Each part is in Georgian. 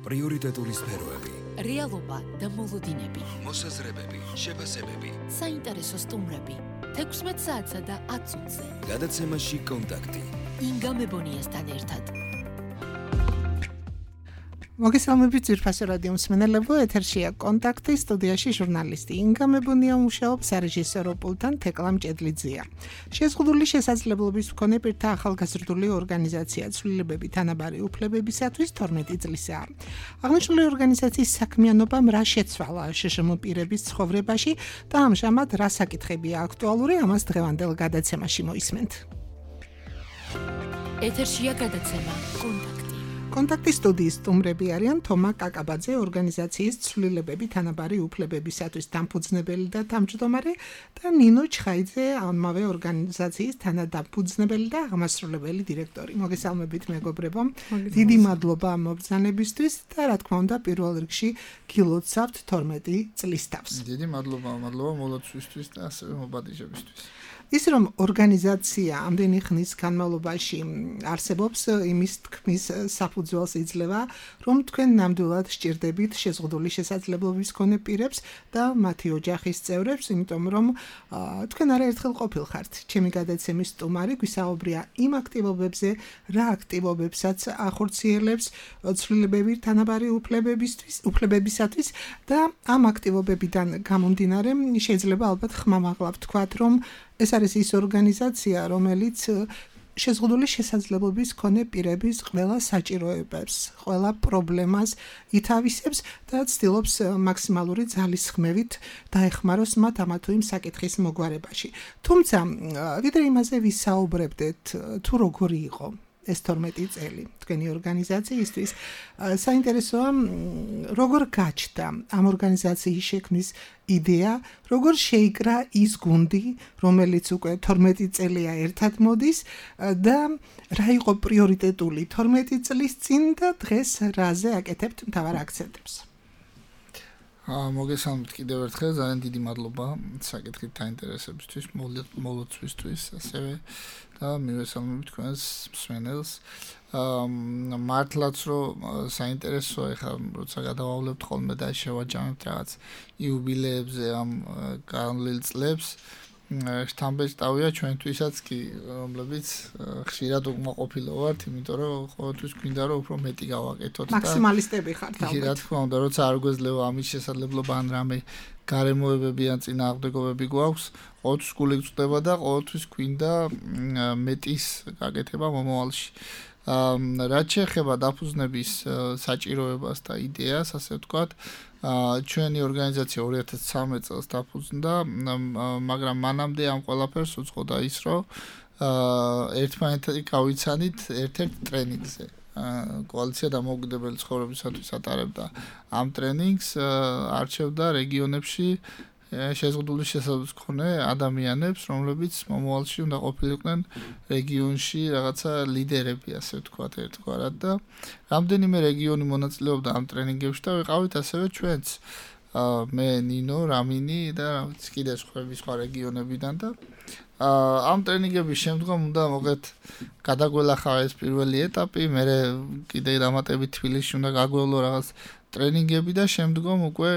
პრიორიტეტული სფეროები, რეალობა და მოლოდინები, მოსაზრებები, შეფასებები, საინტერესო სტუმრები, 16 საათსა და 10 წუთზე. გადაცემაში კონტაქტი. ინგა მებონიასთან ერთად. მოგესალმებით ძვირფასო რადიო მსმენელებო, ეთერშია კონტაქტი, სტუდიაში ჟურნალისტი ინგა მებონია მუშაობს, სარეჟისორო პულტთან თეკლა მჭედლიძეა. შეზღუდული შესაძლებლობის მქონე პირთა ახალგაზრდული ორგანიზაცია ცვლილებები თანაბარი უფლებებისათვის 12 წლისაა. აღნიშნული ორგანიზაციის საქმიანობამ რა შეცვალა შშმ პირების ცხოვრებაში და ამჟამად რა საკითხებია აქტუალური, ამას დღევანდელ გადაცემაში მოისმენთ. ეთერშია გადაცემა კონტაქტი. კონტაქტის სტუდიის სტუმრები არიან თომა კაკაბაძე, ორგანიზაციის ცვლილებები თანაბარი უფლებებისათვის დამფუძნებელი და თავმჯდომარე და ნინო ჩხაიძე, ამავე ორგანიზაციის თანადამფუძნებელი და აღმასრულებელი დირექტორი. მოგესალმებით მეგობრებო. დიდი მადლობა ამ მობრძანებისთვის და რა თქმა უნდა პირველ რიგში გილოცავთ 12 წლის თავს. დიდი მადლობა მოლოცვისთვის და ასევე მობადიჟებისთვის. ის რომ ორგანიზაცია ამდენი ხნის განმავლობაში არსებობს, იმის თქმის საფუძველს იძლევა, რომ თქვენ ნამდვილად სჭირდებით შეზღუდული შესაძლებლობის მქონე პირებს და მათი ოჯახის წევრებს, იმიტომ რომ თქვენ არაერთხელ ყოფილხართ ჩემი გადაცემის სტუმარი, გვისაუბრია იმ აქტივობებზე, რა აქტივობებსაც ახორციელებს ცვლილებები თანაბარი უფლებებისათვის და ამ აქტივობებიდან გამომდინარე შეიძლება ალბათ ხმამაღლა ვთქვათ, რომ ეს არის ის ორგანიზაცია, რომელიც შეზღუდული შესაძლებლობის მქონე პირების ყველა საჭიროებებს, ყველა პრობლემას ითავისებს და ცდილობს მაქსიმალური ძალისხმევით დაეხმაროს მათ ამა თუ იმ საკითხის მოგვარებაში. თუმცა, ვიდრე იმაზე ვისაუბრებდეთ, თუ როგორი იყო ეს 12 წელი თქვენი ორგანიზაციისთვის, საინტერესოა როგორ გაჩნდა ამ ორგანიზაციის შექმნის იდეა, როგორ შეიკრა ის გუნდი, რომელიც უკვე 12 წელია ერთად მოდის და რა იყო პრიორიტეტული 12 წლის წინ და დღეს რაზე აკეთებთ მთავარ აქცენტებს. მოგესალმებით კიდევ ერთხელ, ძალიან დიდი მადლობა საკითხით დაინტერესებისთვის, მოლოცვისთვის, ასევე და მივესალმებით თქვენს მსმენელს. მართლაც რომ საინტერესოა, ეხლა როცა გადავავლებთ ხოლმე და შევაჯამებთ რაღაც იუბილეებზე ამ განვლილ წლებს, შთამბეჭ ტავია ჩვენთვისაც კი, რომლებიც ხშირად უკმაყოფილო ვართ, იმიტომ რომ ყოველთვის გვინდა რომ უფრო მეტი გავაკეთოთ და მაქსიმალისტები ხართ ალბათ. რა თქმა უნდა, როცა არ გვეძლევა ამის შესაძლებლობა ან რამე გარემოებები ან წინააღმდეგობები გვაქვს, ყოველთვის გული გწვდება და ყოველთვის გვინდა მეტის გაკეთება მომავალში. რაც შეეხება დაფუძნების საჭიროებას და იდეას, ასე ვთქვათ, ჩვენი ორგანიზაცია 2013 წელს დაფუძნდა, მაგრამ მანამდე ამ ყველაფერს უწყობდა ის, რომ ერთმანეთად გავიცანით ერთ-ერთ ტრენინგზე. კოალიცია დამოუკიდებელი ცხოვრებისათვის ატარებდა ამ ტრენინგს, არჩევდა რეგიონებში შეზღუდული შესაძლებლობის მქონე ადამიანებს, რომლებიც მომავალში უნდა ყოფილიყვნენ რეგიონში რაღაცა ლიდერები, ასე ვთქვათ, ერთგვარად და რამდენიმე რეგიონი მონაწილეობდა ამ ტრენინგებში და ვიყავით ასევე ჩვენც, მე, ნინო, რამინი და კიდე სხვა რეგიონებიდან და ამ ტრენინგების შემდგომ უნდა მოგეთ გადაგველახა ეს პირველი ეტაპი, მე კიდე დამატებით თბილისში უნდა გაგვევლო რაღაც ტრენინგები და შემდგომ უკვე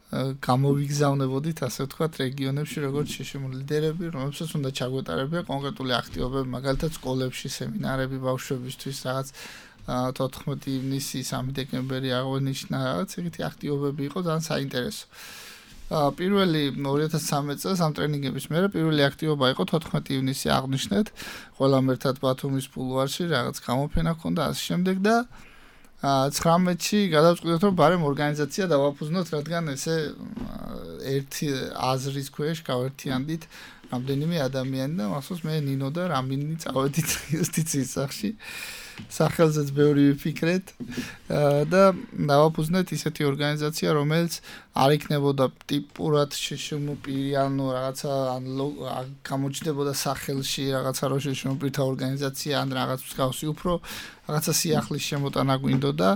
გამოვიგზავნებოდით, ასე ვთქვათ, რეგიონებში როგორც შშმ ლიდერები, რომლებსაც უნდა ჩაგვეტარებია კონკრეტული აქტივობები, მაგალითად სკოლებში სემინარები ბავშვებისთვის, რაღაც 14 ივნისი, 3 დეკემბერი აღნიშნა, რაღაც ეგეთი აქტივობები იყო ძალიან საინტერესო. პირველი 2013 წელს ამ ტრენინგების მერე პირველი აქტივობა იყო 14 ივნისი აღნიშნეთ, ყველამ ერთად ბათუმის ბულვარში რაღაც გამოფენა ჰქონდა ასე შემდეგ და 19-ში გადავწყვიტეთ, რომ ბარემ ორგანიზაცია დავაფუძნოთ, რადგან ესე ერთი აზრის ქვეშ გავერთიანდით რამდენიმე ადამიანი და მახსოვს მე ნინო და რამინი წავედით იუსტიციის სახლში. სახელზეც ბევრი ვიფიქრეთ და დავაფუძნეთ ისეთი ორგანიზაცია, რომელიც არ იქნებოდა ტიპურად შშმ პირი, ანუ რაღაცა გამოჩნდებოდა სახელში რაღაცა რო შშმ პირთა ორგანიზაცია ან რაღაც მსგავსი, უფრო რაღაცა სიახლის შემოტანა გვინდოდა,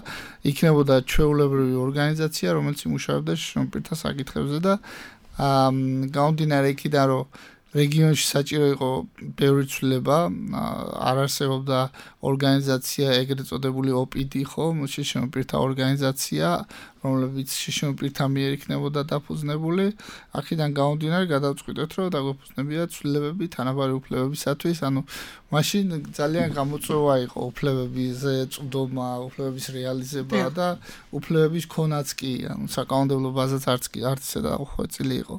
იქნებოდა ჩვეულებრივი ორგანიზაცია, რომელიც იმუშავებდა შშმ პირთა საკითხებზე და გამომდინარე იქიდან, რომ რეგიონში საჭირო იყო ბევრი ცვლილება, არ არსებობდა ორგანიზაცია ეგრეთ წოდებული OPD ხო, შშმ პირთა ორგანიზაცია, რომლებიც შშმ პირთა მიერ იქნებოდა დაფუძნებული. აქედან გამომდინარე გადავწყვიტეთ, რომ დაგვეფუძნებია ცვლილებები თანაბარი უფლებებისათვის, ანუ მაშინ ძალიან გამოწვევა იყო უფლებებზე წვდომა, უფლებების რეალიზება და უფლებების ქონაც კი, ანუ საკანონმდებლო ბაზაც არც დაუხვეწილი იყო.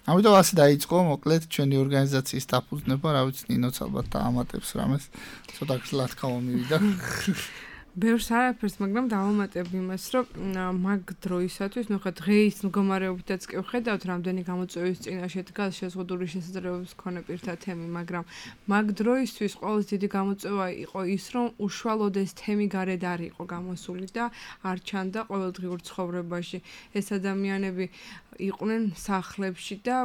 ამიტომ ასე დაიწყო მოკლედ ჩვენი ორგანიზაციის დაფუძნება, რა ვიცი, ნინოც ალბათ დაამატებს რამეს, ცოტა გძლად გამომივიდა. ბევრს არაფერს, მაგრამ დავამატებ იმას, რომ მაგ დროისათვის, ნუ ხა დღეის მდგომარეობითაც კი ვხედავთ, რამდენი გამოწვევის წინაშე დგას შეზღუდული შესაძლებლობის მქონე პირთა თემი, მაგრამ მაგ დროისთვის ყველაზე დიდი გამოწვევა იყო ის, რომ უშუალოდ ეს თემი გარეთ არ იყო გამოსული და არ ჩანდა ყოველდღიურ ცხოვრებაში. ეს ადამიანები იყვნენ სახლებში და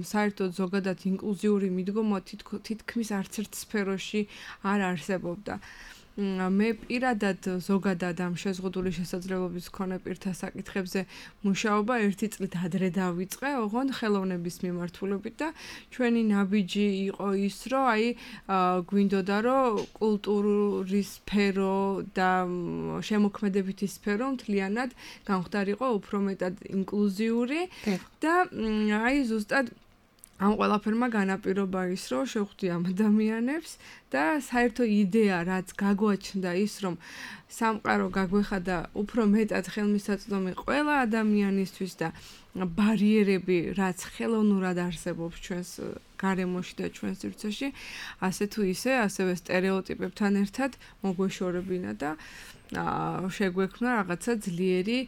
საერთოდ ზოგადად ინკლუზიური მიდგომა თითქმის არც ერთ სფეროში არ არსებობდა. მე პირადად ზოგადად ამ შეზღუდული შესაძლებლობის მქონე პირთა საკითხებზე მუშაობა 1 წლით ადრე დავიწყე, ოღონდ ხელოვნების მიმართულებით და ჩვენი ნაბიჯი იყო ის, რომ გვინდოდა რომ კულტურის სფერო და შემოქმედებითი სფერო მთლიანად გამხდარიყო უფრო მეტად ინკლუზიური და ზუსტად ამ ყველაფერმა განაპირობა ის, რომ შევხვდი ამ ადამიანებს და საერთო იდეა, რაც გაგვაჩნდა ის, რომ სამყარო გაგვეხადა უფრო მეტად ხელმისაწვდომი ყველა ადამიანისთვის და ბარიერები, რაც ხელოვნურად არსებობს ჩვენს გარემოში და ჩვენს სივრცეში, ასე თუ ისე, ასევე სტერეოტიპებთან ერთად მოგვეშორებინა და შეგვექმნა რაღაცა ძლიერი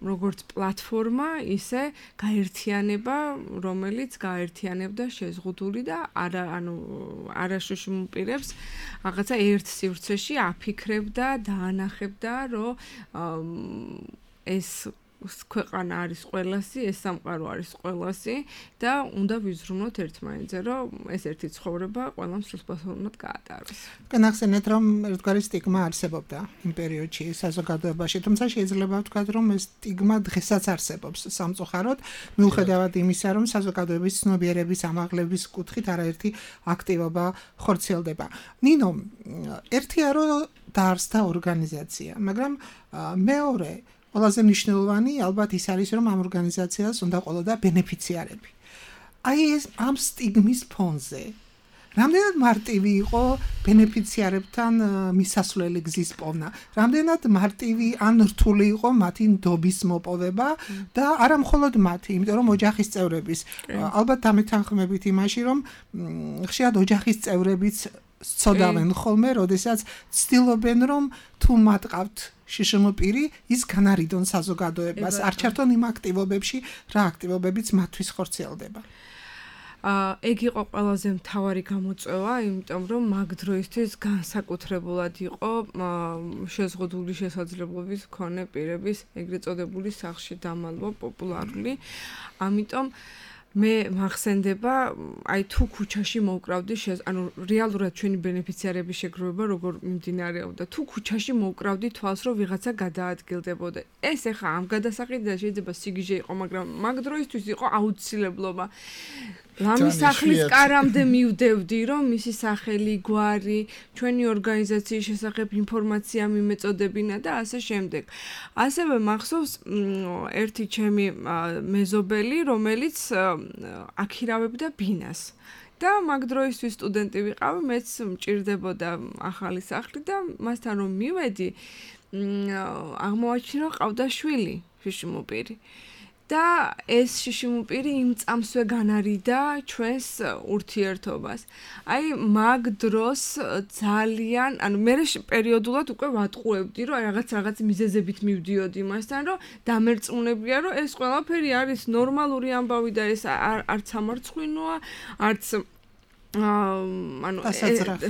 როგორც პლატფორმა, ისე გაერთიანება, რომელიც გაერთიანებდა შეზღუდული და არაშუშმ პირებს რაღაცა ერთ სივრცეში აფიქრებდა, დაანახებდა, რომ ეს ქვეყანა არის ყველასი, ეს სამყარო არის ყველასი და უნდა ვიზრუნოთ ერთმანეთზე, რომ ეს ერთი ცხოვრება ყველამ სრულსაფრთხოდ გაატაროს. განახსენეთ, რომ ერთგვარი სტიგმა არსებობდა იმ პერიოდში საზოგადოებაში, თუმცა შეიძლება ვთქვათ, რომ ეს სტიგმა დღესაც არსებობს სამწუხაროდ, მიუხედავად იმისა, რომ საზოგადოების ცნობიერების ამაღლების კუთხით არაერთი აქტივობა ხორციელდება. ნინო, ერთია რომ დაარსდა ორგანიზაცია, მაგრამ მეორე ყველაზე მნიშვნელოვანი ალბათ ის არის, რომ ამ ორგანიზაციას უნდა ყოლოდა ბენეფიციარები. ეს ამ სტიგმის ფონზე რამდენად მარტივი იყო ბენეფიციარებთან მისასვლელი გზის პოვნა, რამდენად მარტივი ან რთული იყო მათი ნდობის მოპოვება და არა მხოლოდ მათი, იმიტომ რომ ოჯახის წევრების ალბათ დამეთანხმებით იმაში, რომ ხშირად ოჯახის წევრებიც სწოდავენ ხოლმე, როდესაც ცდილობენ, რომ თუ მათ ყავთ შშმ პირი, ის განარიდონ საზოგადოებას, არ ჩართონ იმ აქტივობებში, რა აქტივობებიც მათთვის ხორციელდება. ეგ იყო ყველაზე მთავარი გამოწვევა, იმიტომ რომ მაგ დროისთვის განსაკუთრებულად იყო შეზღუდული შესაძლებლობის მქონე პირების ეგრეთ წოდებული სახლში დამალვა პოპულარული. ამიტომ მე მახსენდება, თუ ქუჩაში მოვკრავდი, ანუ რეალურად ჩვენი ბენეფიციარების შეგროვება როგორ მიმდინარეობდა. თუ ქუჩაში მოვკრავდი თვალს, რომ ვიღაცა გადაადგილდებოდა. ეს ეხა ამ გადასაყიდად შეიძლება სიგიჟე იყო, მაგრამ მაგ დროისთვის იყო აუცილებლობა. ლამის სახლის კარამდე მივდევდი, რომ მისი სახელი, გვარი, ჩვენი ორგანიზაციის შესახებ ინფორმაცია მიმეწოდებინა და ასე შემდეგ. ასევე მახსოვს ერთი ჩემი მეზობელი, რომელიც აქირავებდა ბინას. და მაგ დროისთვის სტუდენტი ვიყავი, მეც მჭირდებოდა ახალი სახლი და მასთან რომ მივედი, აღმოვაჩინა, რომ ყავდა შვილი, შშმ პირი. და ეს შშმ პირი იმ წამსვე განარიდა ჩვენს ურთიერთობას. მაგ დროს ძალიან, მე პერიოდულად უკვე ვატყუებდი, რომ რაღაც მიზეზებით მივდიოდი მასთან, რომ დამერწმუნებია, რომ ეს ყველაფერი არის ნორმალური ამბავი და ეს არც სამარცხვინოა, არც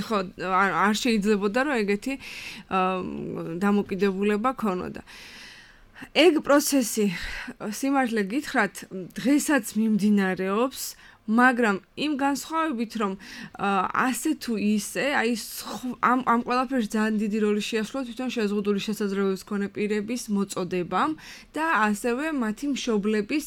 ხო, არ შეიძლებოდა, რომ ეგეთი დამოკიდებულება ქონოდა. ეგ პროცესი, სიმართლე გითხრათ, დღესაც მიმდინარეობს, მაგრამ იმ განსხვავებით რომ ასე თუ ისე აი ამ ყველაფერს ძალიან დიდი როლი შეასრულა თვითონ შეზღუდული შესაძლებლობის მქონე პირების მოწოდებამ და ასევე მათი მშობლების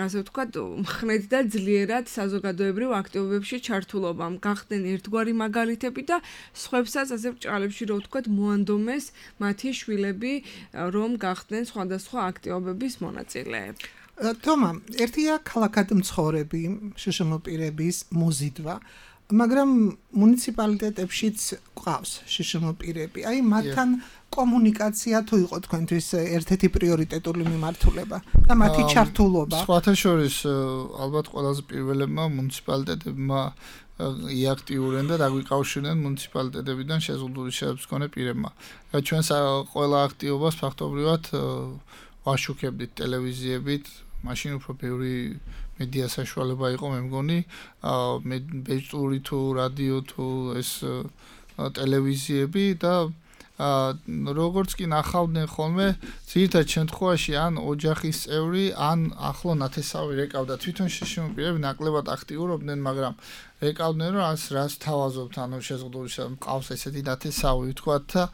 ასე ვთქვათ მხნედ და ძლიერად საზოგადოებრივ აქტივობებში ჩართულობამ გახდნენ ერთგვარი მაგალითები და სხვებსაც ასე ბრჭყალებში რო ვთქვათ მოანდომეს მათი შვილები რომ გახდნენ სხვადასხვა აქტივობების მონაწილეები. თომა, ერთია ქალაქად მცხოვრები შშმ პირების მოზიდვა, მაგრამ მუნიციპალიტეტებშიც ყავს შშმ პირები. აი მათთან კომუნიკაცია თუ იყო თქვენთვის ერთ-ერთი პრიორიტეტული მიმართულება და მათი ჩართულობა. სხვათა შორის ალბათ ყველაზე პირველებმა მუნიციპალიტეტებმა იაქტიურენ და დაგვიკავშირდნენ მუნიციპალიტეტებიდან შეზღუდული შეხედვების მქონე პირებმა. ჩვენს ყველა აქტივობას ფაქტობრივად ვაშუქებდით ტელევიზიებით, მაშინ უფრო ბევრი მედია საშუალება იყო, მე მგონი, ბეჭდური თუ რადიო თუ ეს ტელევიზიები და როგორც კი ნახავდნენ ხოლმე, ძირითადად შემთხვევაში ან ოჯახის წევრი, ან ახლო ნათესავი რეკავდა. თვითონ შშმ პირები ნაკლებად აქტიურობდნენ, მაგრამ რეკავდნენ, რომ რას თავაზობთ, ანუ შეზღუდული მყავს ესეთი ნათესავი, ვთქვათ და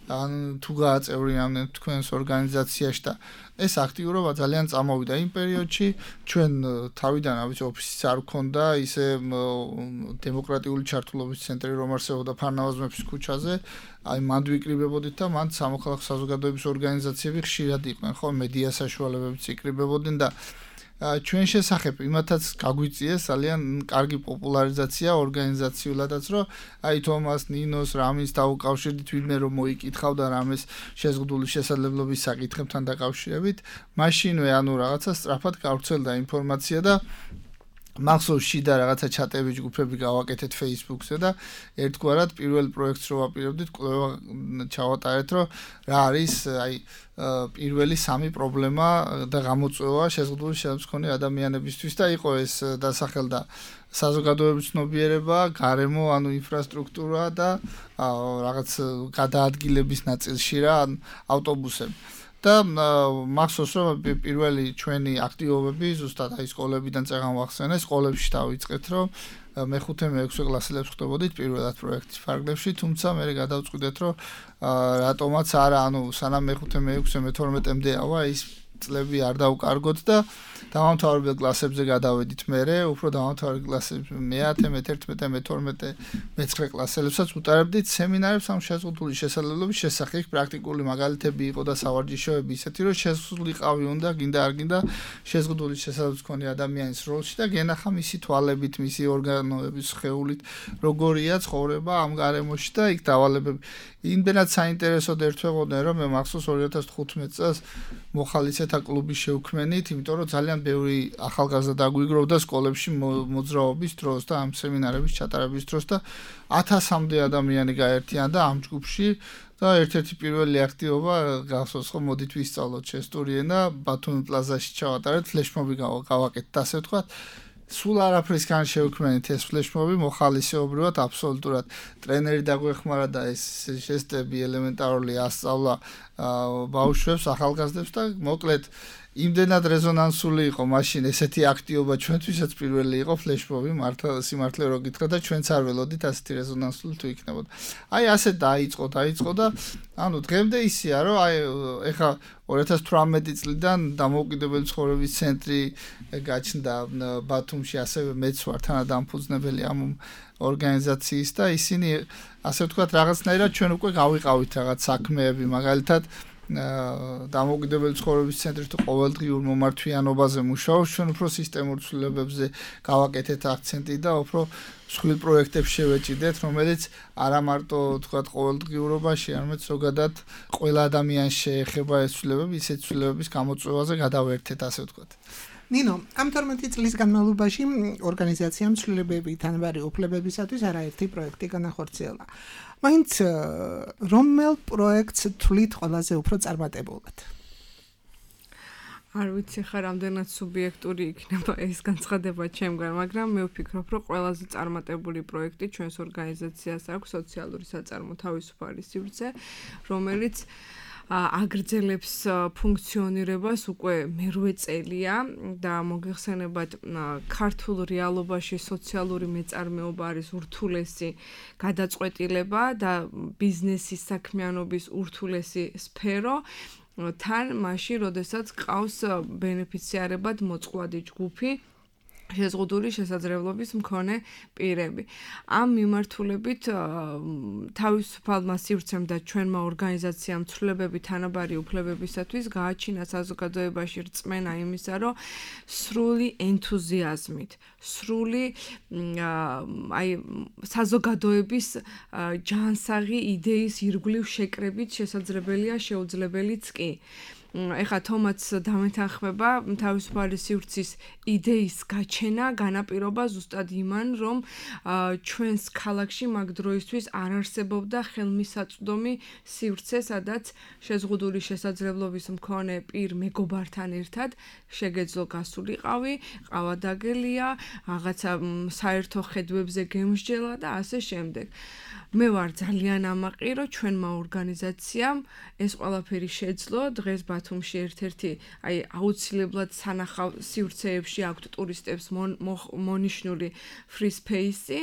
ან თუ გააწევრიანდნენ თქვენს ორგანიზაციაში და ეს აქტიურობა ძალიან წამოვიდა იმ პერიოდში, ჩვენ თავიდან ავიც ოფისიც არ გქონდა, ისე დემოკრატიული ჩართულობის ცენტრი რომ არსებობდა ფარნავაზ მეფის ქუჩაზე, აი მანდ ვიკრიბებოდით და მანდ სამოქალაქო საზოგადოების ორგანიზაციები ხშირად იყვნენ, ხო, მედია საშუალებებიც იკრიბებოდნენ და ჩვენ შესახებ იმათაც გაგვიწიეს ძალიან კარგი პოპულარიზაცია ორგანიზაციულადაც, რომ აი თომას, ნინოს, რამის დაუკავშირდით ვინმე რომ მოიკითხავდა რამეს შეზღუდული შესაძლებლობის საკითხებთან დაკავშირებით, მაშინვე ანუ რაღაცა სწრაფად გავრცელდა ინფორმაცია და მახსოვს შიდა რაღაცა ჩატები ჯგუფები გავაკეთეთ Facebook-ზე და ერთგვარად პირველ პროექტს რო ვაპირებდით, კვლევა ჩავატარეთ, რომ რა არის აი პირველი სამი პრობლემა და გამოწვევა შეზღუდული შეხედვების მქონე ადამიანებისთვის და იყო ეს დასახელდა საზოგადოების ცნობიერება, გარემო, ანუ ინფრასტრუქტურა და რაღაც გადაადგილების ნაწილში რა, ავტობუსები. და მახსოვს რომ პირველი ჩვენი აქტივობები ზუსტად აი სკოლებიდან წეგან ვახსენე, სკოლებში დავიწყეთ, რომ მე-5 მე-6 კლასელებს ხვდებოდით პირველად პროექტის ფარგლებში, თუმცა მე გადავწყვიტეთ, რომ რატომაც არა, ანუ სანამ მე-5 მე-6 მე-12-მდე ავა ის წლები არ დავკარგოთ და დამამთავრებელ კლასებზე გადავედით მერე, უფრო დამამთავრებელ კლასებში მე-10, მე-11, მე-12, მე-9 კლასელებსაც უტარებდით სემინარებს ამ შეზღუდული შესაძლებლობის შესახებ, პრაქტიკული მაგალითები იყო და სავარჯიშოები ისეთი, რომ შესულიყავი უნდა, გინდა არ გინდა შეზღუდული შესაძლებლობის მქონე ადამიანის როლში და გენახა მისი თვალებით, მისი ორგანოების სხეულით, როგორია ცხოვრება ამ გარემოში და იქ დავალებები. იმდენად საინტერესოდ ერთვეღოდნენ, რომ მე მახსოვს 2015 წელს მოხალისეთა კლუბის შევქმნით, იმიტომ რომ ძალიან ბევრი ახალგაზრდა დაგვიგროვდა სკოლებში მოძრაობის დროს და ამ სემინარების ჩატარების დროს და 1000-მდე ადამიანი გაერთიანდა ამ ჯგუფში და ერთ-ერთი პირველი აქტივობა გახსოვს, რომ მოდით ვისწავლოთ ჩესტური ენა, ბათუმის პლაზაში ჩავატარეთ, ფლეშმობი გავაკეთეთ, ასე ვთქვათ. სულ არაფრისგან შევქმნით ეს ფლეშმობი, მოხალისეობრივად აბსოლუტურად ტრენერი დაგვეხმარა და ეს ჟესტები ელემენტარული ასწავლა ბავშვებს, ახალგაზრდებს და მოკლედ იმდენად რეზონანსული იყო მაშინ ესეთი აქტივობა ჩვენთვისაც პირველი იყო ფლეშმობი, მართლა სიმართლე რო გითხრა და ჩვენც არ ველოდით ასეთი რეზონანსული თუ იქნებოდა. აი ასე დაიწყო და ანუ დღემდე ისეა, რომ აი ეხა 2018 წლიდან დამოუკიდებელი ცხოვრების ცენტრი გაჩნდა ბათუმში, ასევე მეც ვარ თანადამფუძნებელი ამ ორგანიზაციის და ისინი ასე ვთქვათ რაღაცნაირად ჩვენ უკვე გავიყავით რაღაც საქმეები, მაგალითად დამოუკიდებელი ცხოვრების ცენტრი თუ ყოველდღიურ მომართვიანობაზე მუშაობს, ჩვენ უფრო სისტემურ ცვლილებებზე გავაკეთეთ აქცენტი და უფრო მსხვილ პროექტებს შევეჭიდეთ, რომელიც არა მარტო თქვათ ყოველდღიურობაში, არამედ ზოგადად ყველა ადამიანს შეეხება ეს ცვლილებები, ისეთ ცვლილებების გამოწვევაზე გადავერთეთ, ასე ვთქვათ. ნინო, ამ 12 წლის განმავლობაში ორგანიზაციამ ცვლილებები თანაბარი უფლებებისათვის არაერთი პროექტი განახორციელა. მაინც რომელ პროექტს თვლით ყველაზე უფრო წარმატებულად? არ ვიცი ხა რამდენად სუბიექტური იქნება ეს განცხადება ჩემგან, მაგრამ მე ვფიქრობ, რომ ყველაზე წარმატებული პროექტი ჩვენს ორგანიზაციას აქვს სოციალური საწარმო თავისუფალი სივრცე, რომელიც აგრძელებს ფუნქციონირებას უკვე მერვე წელია და მოგეხსენებათ ქართულ რეალობაში სოციალური მეწარმეობა არის ურთულესი გადაწყვეტილება და ბიზნესის საქმიანობის ურთულესი სფერო თან მაშინ როდესაც ყავს ბენეფიციარებად მოწყვლადი ჯგუფი შეზღუდული შესაძლებლობის მქონე პირები. ამ მიმართულებით თავისუფალმა სივრცემ და ჩვენმა ორგანიზაციამ ცვლილებები თანაბარი უფლებებისათვის გააჩინა საზოგადოებაში რწმენა იმისა, რომ სრული ენთუზიაზმით, სრული საზოგადოების ჯანსაღი იდეის ირგვლივ შეკრებით შესაძლებელია შეუძლებელიც კი. ეხლა თომაც დამეთანხმება თავისუფალი სივრცის იდეის გაჩენა განაპირობა ზუსტად იმან, რომ ჩვენს ქალაქში მაგ დროისთვის არ არსებობდა ხელმისაწვდომი სივრცე, სადაც შეზღუდული შესაძლებლობის მქონე პირ მეგობართან ერთად შეგეძლო გასულიყავი, ყავადაგელია, რაღაცა საერთო ხედვებზე გემსჯელა და ასე შემდეგ. მე ვარ ძალიან ამაყი, რომ ჩვენმა ორგანიზაციამ ეს ყველაფერი შეძლო. დღეს ბათუმში ერთ-ერთი აუცილებლად სანახავ სივრცეებში აქვთ ტურისტებს მონიშნული free space-ი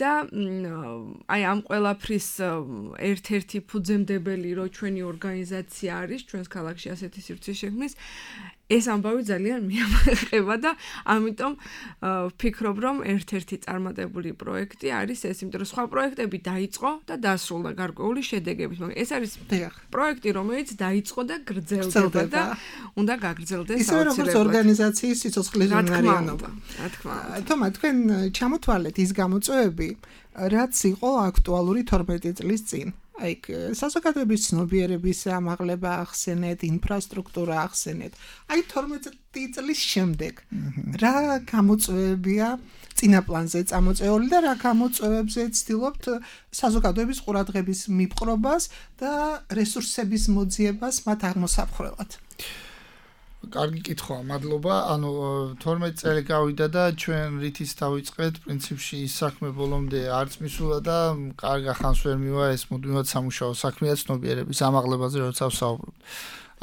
და ამ ყველაფრის ერთ-ერთი ფუძემდებელი რო ჩვენი ორგანიზაცია არის ჩვენს ქალაქში ასეთი სივრცის შექმნის ეს ამბავი ძალიან მიამაყება და ამიტომ ვფიქრობ, რომ ერთ-ერთი წარმატებული პროექტი არის ეს, იმიტომ რომ სხვა პროექტები დაიწყო და დასრულდა გარკვეული შედეგებით, მაგრამ ეს არის პროექტი, რომელიც დაიწყო და გრძელდება და უნდა გაგრძელდეს აუცილებლად. ისე როგორც ორგანიზაციის სიცოცხლის უნარიანობა. რა თქმა უნდა. თომა, თქვენ ჩამოთვალეთ ის გამოწვევები, რაც იყო აქტუალური 12 წლის წინ. აი, საზოგადოების ცნობიერების ამაღლება ახსენეთ, ინფრასტრუქტურა ახსენეთ. აი, 12 წლის შემდეგ რა გამოწვევებია წინაპლანზე წამოწეული და რა გამოწვევებზე ცდილობთ საზოგადოების ყურადღების მიპყრობას და რესურსების მოძიებას მათ აღმოსაფხრელად? კარგი კითხვაა, მადლობა. ანუ 12 წელი გავიდა და ჩვენ რითიც დავიწყეთ, პრინციპში ის საქმე ბოლომდე არც მისულა და კარგ ახანს ვერ მივა ეს მუდმივად სამუშაო საქმეა ცნობიერების ამაღლებაზე, როცა ვსაუბრობ.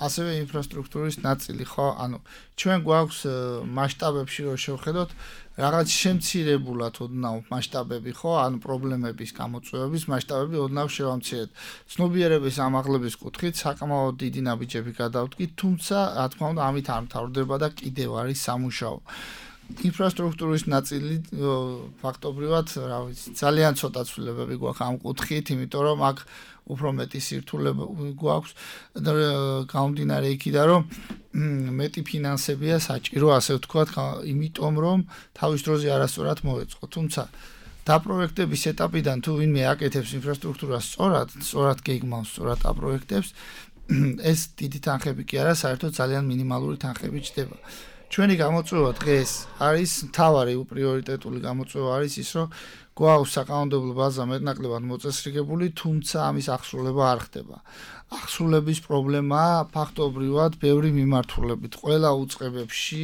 ასევე ინფრასტრუქტურის ნაწილი, ხო? ანუ ჩვენ გვაქვს მასშტაბებში რო შევხედოთ, რაღაც შემცირებულად ოდნავ მასშტაბები, ხო? ანუ პრობლემების გამოწვევების მასშტაბები ოდნავ შევამცირეთ. ცნობიერების ამაღლების კუთხით საკმაოდ დიდი ნაბიჯები გადავდგით, თუმცა, რა თქმა უნდა, ამით არ მთავრდება და კიდევ არის სამუშაო. ინფრასტრუქტურის ნაწილი ფაქტობრივად, რა ვიცი, ძალიან ცოტა ცვლილებები გვაქვს ამ კუთხით, იმიტომ რომ აქ უფრო მეტი სირთულე გვაქვს და გამომდინარე იქიდან, რომ მეტი ფინანსებია საჭირო, ასე ვთქვათ, იმიტომ რომ თავის დროზე არასწორად მოეწყო. თუმცა დაპროექტების ეტაპიდან თუ ვინმე აკეთებს ინფრასტრუქტურას სწორად გეგმავს, სწორად აპროექტებს, ეს დიდი თანხები კი არა, საერთოდ ძალიან მინიმალური თანხები ჩდება. ჩვენი გამოწვევა დღეს არის მთავარი პრიორიტეტული გამოწვევა არის ის, რომ გვაქვს საკანონმდებლო ბაზა მეტნაკლებად მოწესრიგებული, თუმცა ამის აღსრულება არ ხდება. აღსრულების პრობლემაა ფაქტობრივად ბევრი მიმართულებით. ყველა უწყებებში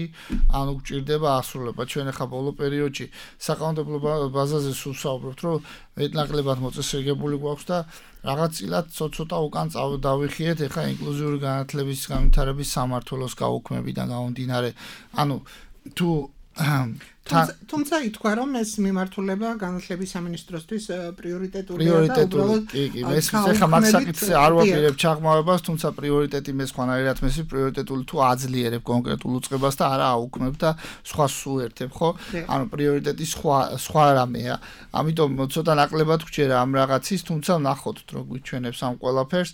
ანუ გვჭირდება აღსრულება. ჩვენ ახლა ბოლო პერიოდში საკანონმდებლო ბაზაზე სულ ვსაუბრობთ, რომ მეტნაკლებად მოწესრიგებული გვაქვს და რაღაც წილად ცოტა უკან დავიხიეთ, ახლა ინკლუზიური განათლების განვითარების სამმართველოს გაუქმებიდან გამომდინარე. ანუ თუ თუმცა ითქვა, რომ ეს მიმართულება განათლების სამინისტროსთვის პრიორიტეტულია და უბრალოდ კი, ეს ახლა მაგ საკითხზე არ ვაპირებ ჩაღმავებას, თუმცა პრიორიტეტი მე სხვანაირად მესი პრიორიტეტული თუ აძლიერებ კონკრეტულ უწყებას და არა აუქმებ და სხვა სუერთებ, ხო? ანუ პრიორიტეტი სხვა რამეა. ამიტომ ცოტა ნაკლებად გვჭირა ამ რაღაცის, თუმცა ნახოთ, რომ გვიჩვენებს ამ ყველაფერს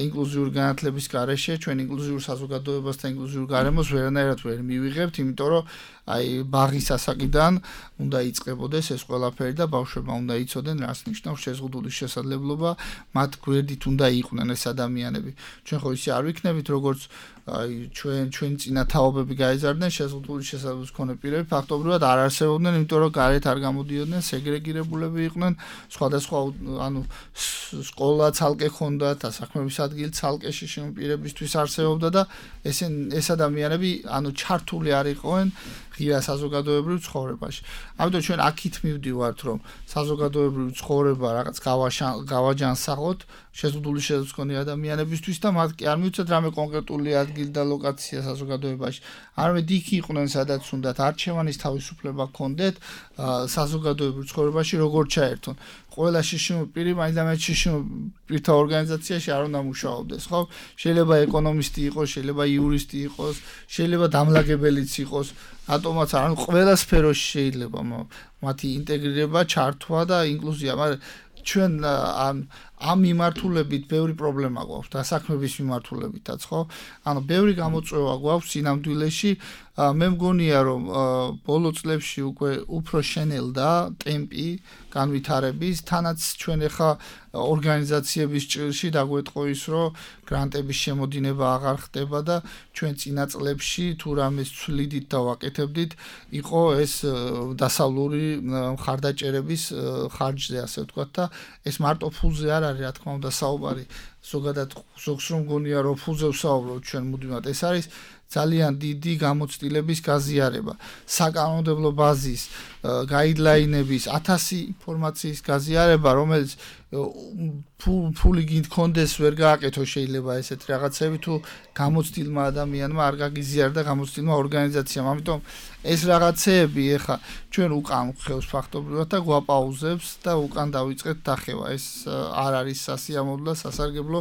ინკლუზიური განათლების გარეშე, ჩვენ ინკლუზიურ საზოგადოებას და ინკლუზიურ გარემოს ვერანაირად ვერ მივიღებთ, იმიტომ რომ აი ბაღის ასაკიდან უნდა იწყებოდეს ეს ყველაფერი და ბავშვებმა უნდა იცოდნენ რას ნიშნავს შეზღუდული შესაძლებლობა, მათ გვერდით უნდა იყვნენ ეს ადამიანები. ჩვენ ხო ისე არ ვიქნებით, როგორც აი ჩვენ წინა თაობები გაიზარდნენ შეზღუდული შესაძლებლობის მქონე პირები, ფაქტობრივად არ არსებობდნენ, იმიტომ რომ გარეთ არ გამოდიოდნენ, სეგრეგირებულები იყვნენ, სხვადასხვა ანუ სკოლა ცალკე ჰქონდათ, საქმების ადგილი ცალკეში შემოპირებისთვის არსებობდა და ეს ადამიანები ანუ ჩართული არ იყვნენ ღია საზოგადოებაში საზოგადოებრივ ცხოვრებაში. ამიტომ ჩვენ აქით მივდივართ, რომ საზოგადოებრივ ცხოვრება რაღაც გავაჯანსაღოთ შეზღუდული შესაძლებლობის მქონე ადამიანებისთვის და მათ კი არ მივცეთ რამე კონკრეტული ადგილი და ლოკაცია საზოგადოებაში. არამედ იქ იყვნენ, სადაც უნდათ არჩევანის თავისუფლება ჰქონდეთ საზოგადოებრივ ცხოვრებაში როგორ ჩაერთონ. ყველა შიშიმ პირი მაინც შიშიმ პირთა ორგანიზაციაში არ უნდა მუშაობდეს, ხო? შეიძლება ეკონომისტი იყოს, შეიძლება იურისტი იყოს, შეიძლება დამლაგებელიც იყოს, ატომაც არ, ანუ ყველა სფეროში შეიძლება მათი ინტეგრირება, ჩართვა და ინკლუზია, მაგრამ ჩვენ ამ მიმართულებით ბევრი პრობლემა გვაქვს დასაქმების მიმართულებითაც, ხო? ანუ ბევრი გამოწვევა გვაქვს სინამდვილეში. მე მგონია, რომ ბოლო წლებში უკვე უფრო შენელდა ტემპი განვითარების, თანაც ჩვენ ახლა ორგანიზაციების ჭრილში დაგვეტყო ის, რომ გრანტების შემოდინება აღარ ხდება და ჩვენ წინა წლებში თუ რამეს ცვლიდით და ვაკეთებდით, იყო ეს დასავლური მხარდაჭერების ხარჯზე, ასე ვთქვათ და ეს მარტო ფულზე არ არის, რა თქმა უნდა, საუბარი. ზოგადად ზოგს რომ მგონია, რომ ფულზე ვსაუბრობთ ჩვენ მუდმივად, ეს არის ძალიან დიდი გამოცდილების გაზიარება, საკანონმდებლო ბაზის, გაიდლაინების, 1000 ინფორმაციის გაზიარება, რომელიც ფული გქონდეს ვერ გააკეთო შეიძლება ესეთ რაღაცები თუ გამოცდილმა ადამიანმა არ გაგიზიარდა გამოცდილმა ორგანიზაციამ. ამიტომ ეს რაღაცეები ეხა ჩვენ უკან ხევს ფაქტობრივად და გვაპაუზებს და უკან დავიწყეთ დახევა. ეს არ არის სასიამოვნო და სასარგებლო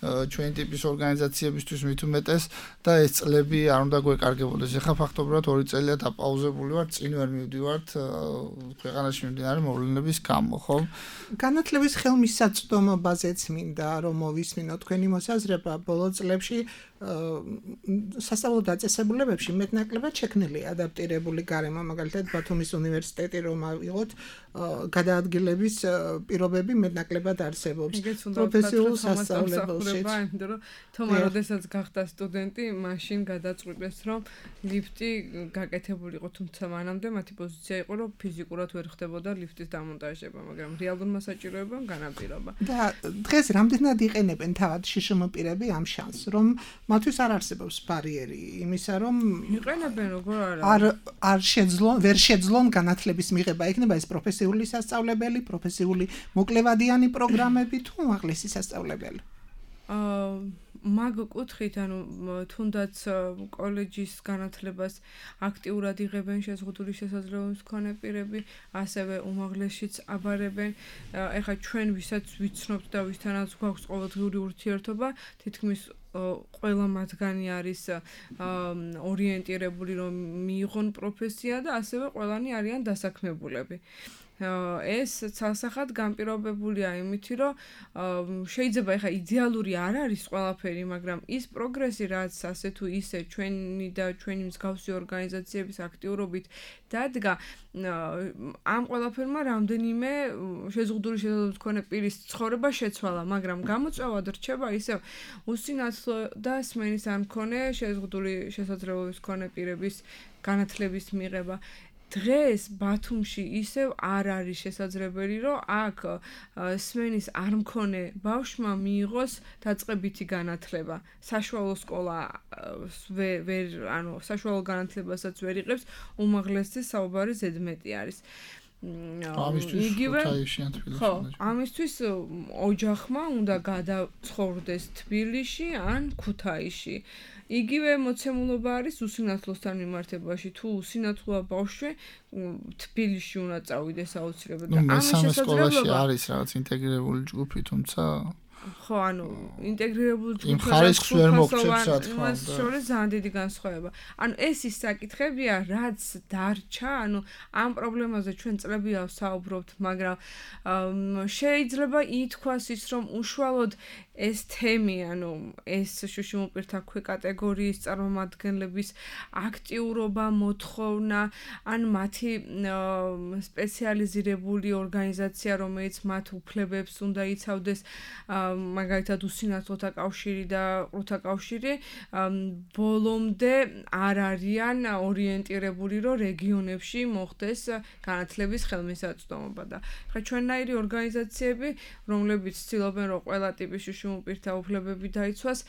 ჩვენი ტიპის ორგანიზაციებისთვის მით უმეტეს და ეს წლები არ უნდა გვეკარგებოდეს. ეხლა ფაქტობრივად 2 წელია დაპაუზებული ვარ, წინ ვერ მივდივართ ქვეყანაში მიმდინარე მოვლენების გამო, ხო? განათლების ხელმისაწვდომობაზეც მინდა რომ მოვისმინო თქვენი მოსაზრება. ბოლო წლებში სასწავლო დაწესებულებებში მეტნაკლებად შექმნილია ადაპტირებული გარემო, მაგალითად ბათუმის უნივერსიტეტი რომ ავიღოთ გადაადგილების პირობები მეტნაკლებად არსებობს პროფესიულ სასწავლებელში. იმიტომ რომ თომა როდესაც გახდა სტუდენტი, მაშინ გადაწყვიტეს რომ ლიფტი გაკეთებული იყო, თუმცა მანამდე მათი პოზიცია იყო რომ ფიზიკურად ვერ ხდებოდა ლიფტის დამონტაჟება, მაგრამ რეალურმა საჭიროებამ განაპირობა. და დღეს რამდენად იყენებენ თავად შშმ პირები ამ შანსს, რომ მათთვის არ არსებობს ბარიერი იმისა, რომ იყენებენ როგორ ვერ შეძლონ განათლების მიღება, იქნება ეს პროფესიული სასწავლებელი, პროფესიული მოკლევადიანი პროგრამები თუ უმაღლესი სასწავლებელი. მაგ კუთხით, ანუ თუნდაც კოლეჯის განათლებას აქტიურად იღებენ შეზღუდული შესაძლებლობის მქონე პირები, ასევე უმაღლესშიც აბარებენ. ეხლა ჩვენ ვისაც ვიცნობთ და ვისთანაც გვაქვს ყოველდღიური ურთიერთობა, თითქმის ყველა მათგანი არის ორიენტირებული რომ მიიღონ პროფესია და ასევე ყველანი არიან დასაქმებულები. ეს ცალსახად განპირობებულია იმითი, რომ შეიძლება ეხა იდეალური არ არის ყველაფერი, მაგრამ ის პროგრესი, რაც ასე თუ ისე ჩვენი და ჩვენი მსგავსი ორგანიზაციების აქტიურობით დადგა, ამ ყველაფერმა რამდენიმე შეზღუდული შესაძლებლობის მქონე პირის ცხოვრება შეცვალა, მაგრამ გამოწვევად რჩება ისევ უსინათლო და სმენის არ მქონე შეზღუდული შესაძლებლობის მქონე პირების განათლების მიღება. დღეს ბათუმში ისევ არ არის შესაძლებელი, რომ აქ სმენის არ მქონე ბავშვმა მიიღოს დაწყებითი განათლება. საშუალო სკოლა საშუალო განათლებასაც ვერ იღებს, უმაღლესი საუბარი ზედმეტი არის. ამისთვის ოჯახმა უნდა გადაცხოვრდეს თბილისში ან ქუთაისში. იგივე მოცემულობა არის უსინათლოსთან მიმართებაში, თუ უსინათლოა ბავშვი თბილისში უნდა წავიდეს აუცილებლად. ამის შესაძლებლობა არის რაღაც ინტეგრირებული ჯგუფი, თუმცა ხო, ანუ ინტეგრირებული ჯგუფი იმ ხარისხს ვერ მოგწევს, რა თქმა უნდა. შორის ძალიან დიდი განსხვავება. ანუ ეს ის საკითხებია, რაც დარჩა, ანუ ამ პრობლემაზე ჩვენ წლებია ვსაუბრობთ, მაგრამ შეიძლება ითქვას ის, რომ უშუალოდ ეს თემი, ანუ ეს შუშიმოპირთა ქვეკატეგორიის წარმომადგენლების აქტიურობა, მოთხოვნა, ან მათი სპეციალიზირებული ორგანიზაცია, რომელიც მათ უფლებებს უნდა იცავდეს, მაგალითად უსინათლოთა კავშირი და ყრუთა კავშირი, ბოლომდე არ არიან ორიენტირებული, რომ რეგიონებში მოხდეს განათლების ხელმისაწვდომობა და ხა ჩვენნაირი ორგანიზაციები, რომლებიც ცდილობენ, რომ ყველა ტიპის შუშიმ შეშიმო პირთა უფლებები დაიცვას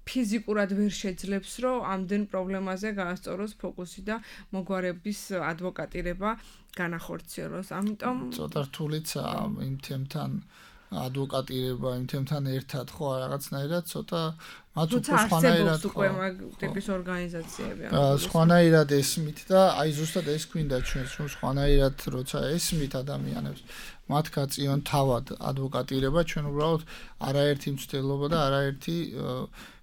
ფიზიკურად ვერ შეძლებს რომ ამდენ პრობლემაზე გაასწოროს ფოკუსი და მოგვარების ადვოკატირება განახორციელოს. ამიტომ ცოტა რთულიცა იმ თემთან ადვოკატირება იმ თემთან ერთად ხო რაღაცნაირად ცოტა მათ უფრო სხვანაირად უკვე მაგ ტიპის ორგანიზაციები სხვანაირად ესმით და აი ზუსტად ეს გვინდა ჩვენს რომ სხვანაირად როცა ესმით ადამიანებს მათ გაწიონ თავად ადვოკატირება ჩვენ უბრალოდ არაერთი მცდელობა და არაერთი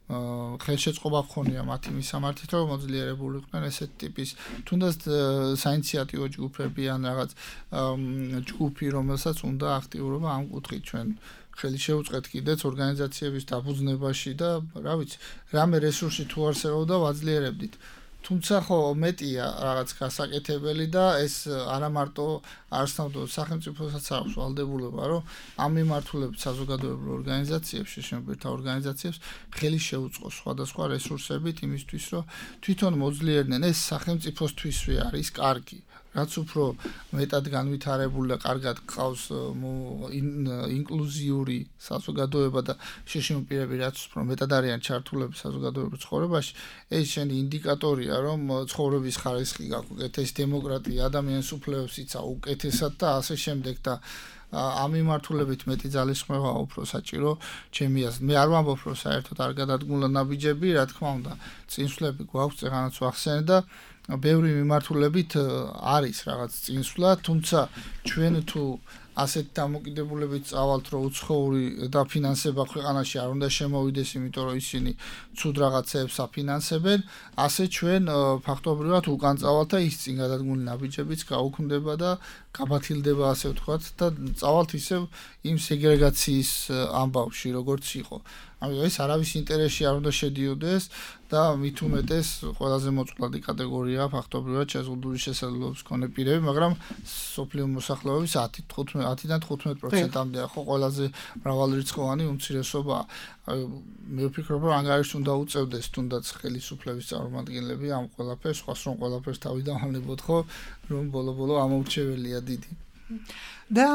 ხელშეწყობა ხონია მათი მისამართით რომ მოძლიერებულიყვნენ ესეთ ტიპის თუნდაც საინიციატივო ჯგუფები ან რაღაც ჯგუფი რომელსაც უნდა აქტიურობა ამ კუთხით ჩვენ ხელი შეუწყეთ კიდეც ორგანიზაციების დაფუძნებაში და რა ვიცი რამე რესურსი თუ არსებობდა ვაძლიერებდით თუმცა ხო მეტია რაღაც გასაკეთებელი და ეს არა მარტო არსნავდო სახელმწიფოსაც აქვს ვალდებულება რომ ამ მიმართულებით საზოგადოებრივ ორგანიზაციებს შეშემოբირთა ორგანიზაციებს ხელი შეუწყოს სხვადასხვა რესურსებით იმისთვის რომ თვითონ მოძლიერდნენ ეს სახელმწიფოსთვისვე არის კარგი რაც უფრო მეტად განვითარებული და კარგად ყავს ინკლუზიური საზოგადოება და შეშემოპირები რაც უფრო მეტად არიან ჩართულები საზოგადოებრივ ცხოვრებაში ეს შენი ინდიკატორია რომ ცხოვრების ხარისხი გაკეთეს დემოკრატია ადამიანის უფლებებს იცავ უკეთესად და ასე შემდეგ და ამ მიმართულებით მეტი ძალისხმევა უფრო საჭირო ჩემი აზრით მე არ ვამბობ რომ საერთოდ არ გადადგმულა ნაბიჯები რა თქმა უნდა წინსვლები გვაქვს წეღანაც ვახსენე და ბევრი მიმართულებით არის რაღაც წინსვლა თუმცა ჩვენ თუ ასეთ დამოკიდებულებით წავალთ რომ უცხოური დაფინანსება ქვეყანაში არ უნდა შემოვიდეს იმიტომ რომ ისინი ცუდ რაღაცებს აფინანსებენ ასე ჩვენ ფაქტობრივად უკან წავალთ და ის წინ გადადგმული ნაბიჯებიც გაუქმდება და გაბათილდება ასე ვთქვათ და წავალთ ისევ იმ სეგრეგაციის ამბავში როგორც იყო ამიტომ ეს არავის ინტერესში არ უნდა შედიოდეს და მით უმეტეს ყველაზე მოწყვლადი კატეგორიაა ფაქტობრივად შეზღუდული შესაძლებლობის მქონე პირები მაგრამ სოფლიო მოსახლეობის 10-დან 15%-მდეა ხო ყველაზე მრავალრიცხოვანი უმცირესობა მე ვფიქრობ რომ ანგარიშს უნდა უწევდეს თუნდაც ხელისუფლების წარმომადგენლები ამ ყველაფერს სხვას რომ ყველაფერს თავიდან ვანებოთ ხო რომ ბოლო-ბოლო ამორჩეველია დიდი და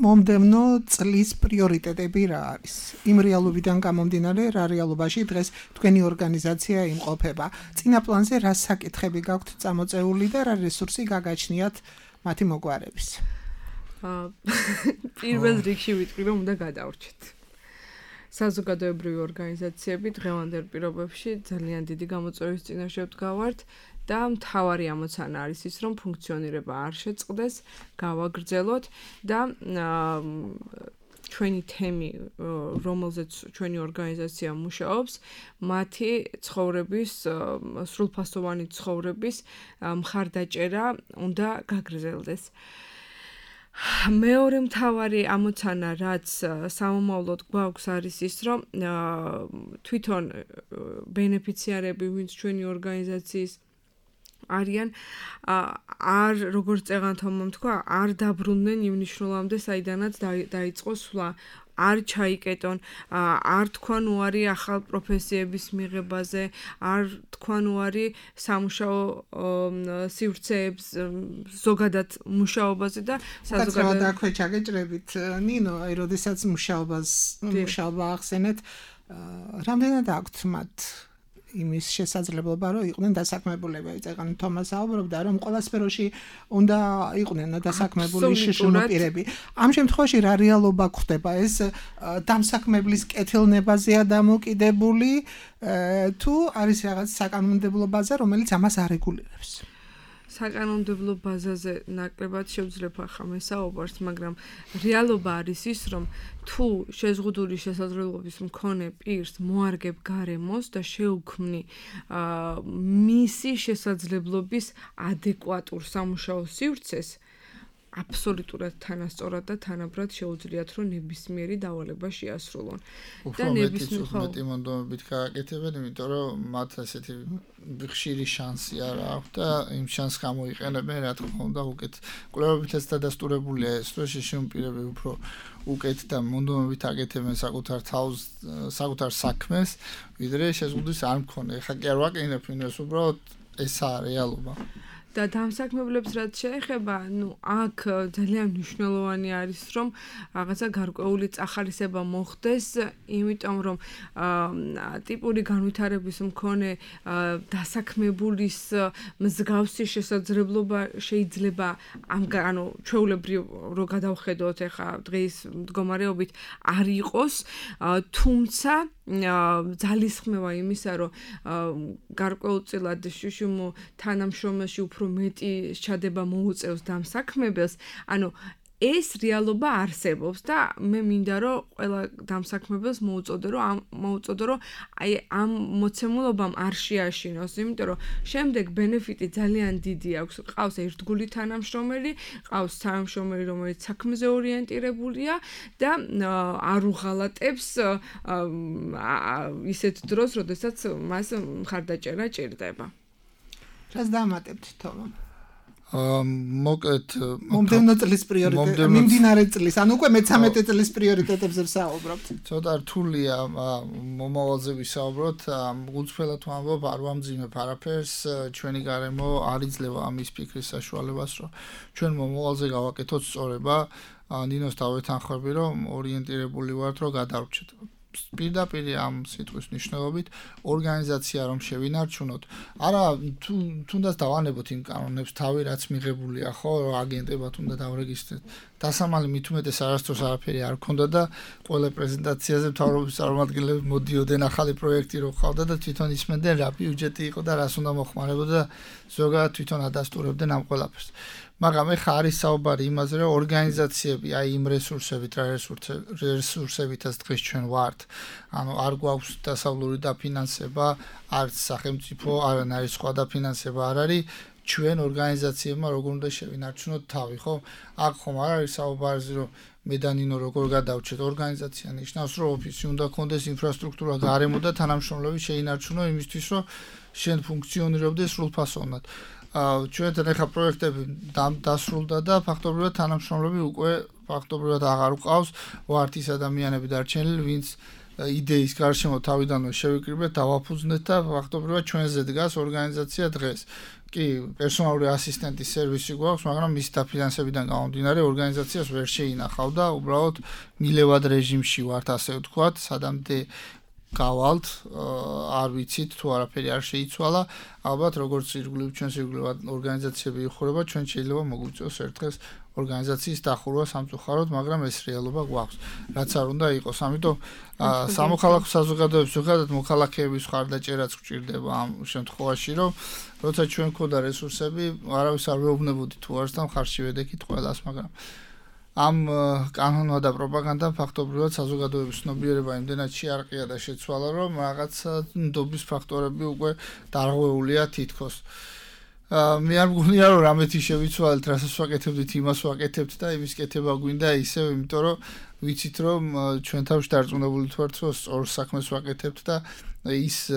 მომდევნო წლის პრიორიტეტები რა არის? იმ რეალობიდან გამომდინარე, რა რეალობაში დღეს თქვენი ორგანიზაცია იმყოფება. წინა პლანზე რა საკითხები გაქვთ წამოწეული და რა რესურსი გაგაჩნიათ მათი მოგვარების? პირველ რიგში ვიტყვი რომ უნდა გადავრჩეთ. საზოგადოებრივი ორგანიზაციები დღევანდელ პირობებში ძალიან დიდი გამოწვევის წინაშე ვდგავართ. და მთავარი ამოცანა არის ის, რომ ფუნქციონირება არ შეწყდეს, გავაგრძელოთ და ჩვენი თემი, რომელზეც ჩვენი ორგანიზაცია მუშაობს, მათი ცხოვრების, სრულფასოვანი ცხოვრების მხარდაჭერა უნდა გაგრძელდეს. მეორე მთავარი ამოცანა, რაც სამომავლოდ გვაქვს არის ის, რომ თვითონ ბენეფიციარები, ვინც ჩვენი ორგანიზაციის არიან არ როგორც წეღანთომამ თქვა არ დაბრუნდნენ იმ ნიშნულამდე საიდანაც დაიწყო სვლა არ ჩაიკეტონ არ თქვან უარი ახალ პროფესიების მიღებაზე არ თქვან უარი სამუშაო სივრცეებს ზოგადად მუშაობაზე და საზოგადოება აქვე ჩაგეჭრებით ნინო აი როდესაც მუშაობა ახსენეთ რამდენად აქვთ მათ იმის შესაძლებლობა რომ იყვნენ დასაქმებულები. წეგან თომას აუბრობდა რომ ყველა სფეროში უნდა იყვნენ დასაქმებული შეშმოპირები. ამ შემთხვევაში რა რეალობა გვხდება ეს დამსაქმებლის კეთილნებაზეა დამოკიდებული თუ არის რაღაც საკანონმდებლო ბაზა რომელიც ამას არეგულირებს. საკანონმდებლო ბაზაზე ნაკლებად შევძლებ ახლა მესაუბარს, მაგრამ რეალობა არის ის, რომ თუ შეზღუდული შესაძლებლობის მქონე პირს მოარგებ გარემოს და შეუქმნი მისი შესაძლებლობის ადეკვატურ სამუშაო სივრცეს, აბსოლუტურად თანასწორად და თანაბრად შეუძლიათ რომ ნებისმიერი დავალება შეასრულონ. და ნებისმიერი მონდომებით გააკეთებენ, იმიტომ რომ მათ ასეთი ხშირი შანსი არ აქვს და იმ შანსს გამოიყენებენ, რა თქმა უნდა, უკეთ კვლევებითაც დადასტურებულია ეს, რომ შეშმოპირები უფრო უკეთ და მონდომებით აკეთებენ საკუთარ თავს, საკუთარ საქმეს, ვიდრე შეზღუდვის არ მქონე. ეხლა კი არ ვაკეთებ იმას, უბრალოდ ესაა რეალობა. და დამსაქმებლებს რაც შეეხება, აქ ძალიან მნიშვნელოვანი არის, რომ რაღაცა გარკვეული წახალისება მოხდეს, იმიტომ რომ ტიპური განვითარების მქონე დასაქმებულის მსგავსი შესაძლებლობა შეიძლება ანუ ჩვეულებრივ რო გადავხედოთ ახლა დღის მდგომარეობით არ იყოს, თუმცა ძალისხმევა იმისა, რომ გარკვეულწილად შუშუმ თანამშრომელში უფრო მეტი შეჩადება მოუწევს დამსაქმებელს, ანუ ეს რეალობა არსებობს და მე მინდა რომ ყველა დამსაქმებელს მოუწოდო რომ აი ამ მოცემულობამ არ შეაშინოს, იმიტომ რომ შემდეგ ბენეფიტი ძალიან დიდი აქვს. ყავს ერთგული თანამშრომელი, ყავს თანამშრომელი, რომელიც საქმეზე ორიენტირებულია და არ უღალატებს ისეთ დროს, როდესაც მას მხარდაჭერა ჭირდება. რას დამატებთ თომა? მოკლედ მომდევნო წლის პრიორიტეტი, მიმდინარე წლის, ანუ უკვე მე-13 წლის პრიორიტეტებზე ვსაუბრობთ. ცოტა რთულია მომავალზე ვისაუბროთ, უცვლელად ვამბობ, არ ვამძიმებ არაფერს, ჩვენი გარემო არ იძლევა ამის ფიქრის საშუალებას, რომ ჩვენ მომავალზე გავაკეთოთ სწორება, ნინოს დავეთანხმები, რომ ორიენტირებული ვართ, რომ გადავრჩეთ. პირდაპირ ამ სიტყვის მნიშვნელობით ორგანიზაცია რომ შევინარჩუნოთ. არა, თუნდაც დავანებოთ იმ კანონებს თავი, რაც მიღებულია, ხო, აგენტებად უნდა დავრეგისტრიროთ. დასამალი მით უმეტეს არასდროს არაფერი არ ქონდა და ყველა პრეზენტაციაზე მთავრობის წარმომადგენლები მოდიოდნენ ახალი პროექტი რო ყავდა და თვითონ ისმენდნენ რა ბიუჯეტი იყო და რას უნდა მოხმარებოდა და ზოგადად თვითონ ადასტურებდნენ ამ ყველაფერს. მაგრამ ეხა არის საუბარი იმაზე, რომ ორგანიზაციები აი იმ რესურსებით, რა რესურსებითაც დღეს ჩვენ ვართ, ანუ არ გვაქვს დასავლური დაფინანსება, არც სახელმწიფო, არანაირი სხვა დაფინანსება არ არის, ჩვენ ორგანიზაციებმა როგორ უნდა შევინარჩუნოთ თავი, ხო? აქ ხომ არ არის საუბარი, რომ მე და ნინო როგორ გადავჭეთ, ორგანიზაცია ნიშნავს, რომ ოფისი უნდა კონდეს, ინფრასტრუქტურა, გარემო და თანამშრომლები შეინარჩუნო იმისთვის, რომ შენ ფუნქციონირებდეს სრულფასოვნად. ჩვენთან ახლა პროექტები დასრულდა და ფაქტობრივად თანამშრომლები უკვე ფაქტობრივად აღარ უყავს, ვართ ის ადამიანები დარჩენილი, ვინც იდეის გარშემო თავიდანვე შევიკრიბეთ, დავაფუძნეთ და ფაქტობრივად ჩვენზე დგას ორგანიზაცია დღეს. კი, პერსონალური ასისტენტის სერვისი გვაქვს, მაგრამ მის დაფინანსებიდან გამომდინარე ორგანიზაციას ვერ შეინახავ და უბრალოდ მილევად რეჟიმში ვართ, ასე ვთქვათ, სადამდე გავალთ, არ ვიცით თუ არაფერი არ შეიცვალა, ალბათ როგორც ირგვლივ ჩვენს ირგვლივ ორგანიზაციები იხურება, ჩვენ შეიძლება მოგვიწევს ერთ დღეს ორგანიზაციის დახურვა სამწუხაროდ, მაგრამ ეს რეალობა გვაქვს, რაც არ უნდა იყოს. ამიტომ სამოქალაქო საზოგადოებებს ზოგადად მოქალაქეების ხარდაჭერაც გვჭირდება ამ შემთხვევაში, რომ როცა ჩვენ ქონდა რესურსები, არავის არ ვეუბნებოდი თუ არს და მხარში ვედექით ყველას, მაგრამ ამ კანონმა და პროპაგანდამ ფაქტობრივად საზოგადოების ცნობიერება იმდენად შეარყია და შეცვალა, რომ რაღაცა ნდობის ფაქტორები უკვე დარღვეულია თითქოს. მე არ მგონია რომ რამეთი შევიცვალეთ, რასაც ვაკეთებდით, იმას ვაკეთებთ და იმის კეთება გვინდა ისევ, იმიტომ რომ ვიცით რომ ჩვენ თავში დარწმუნებული ვართ, რომ სწორ საქმეს ვაკეთებთ და ის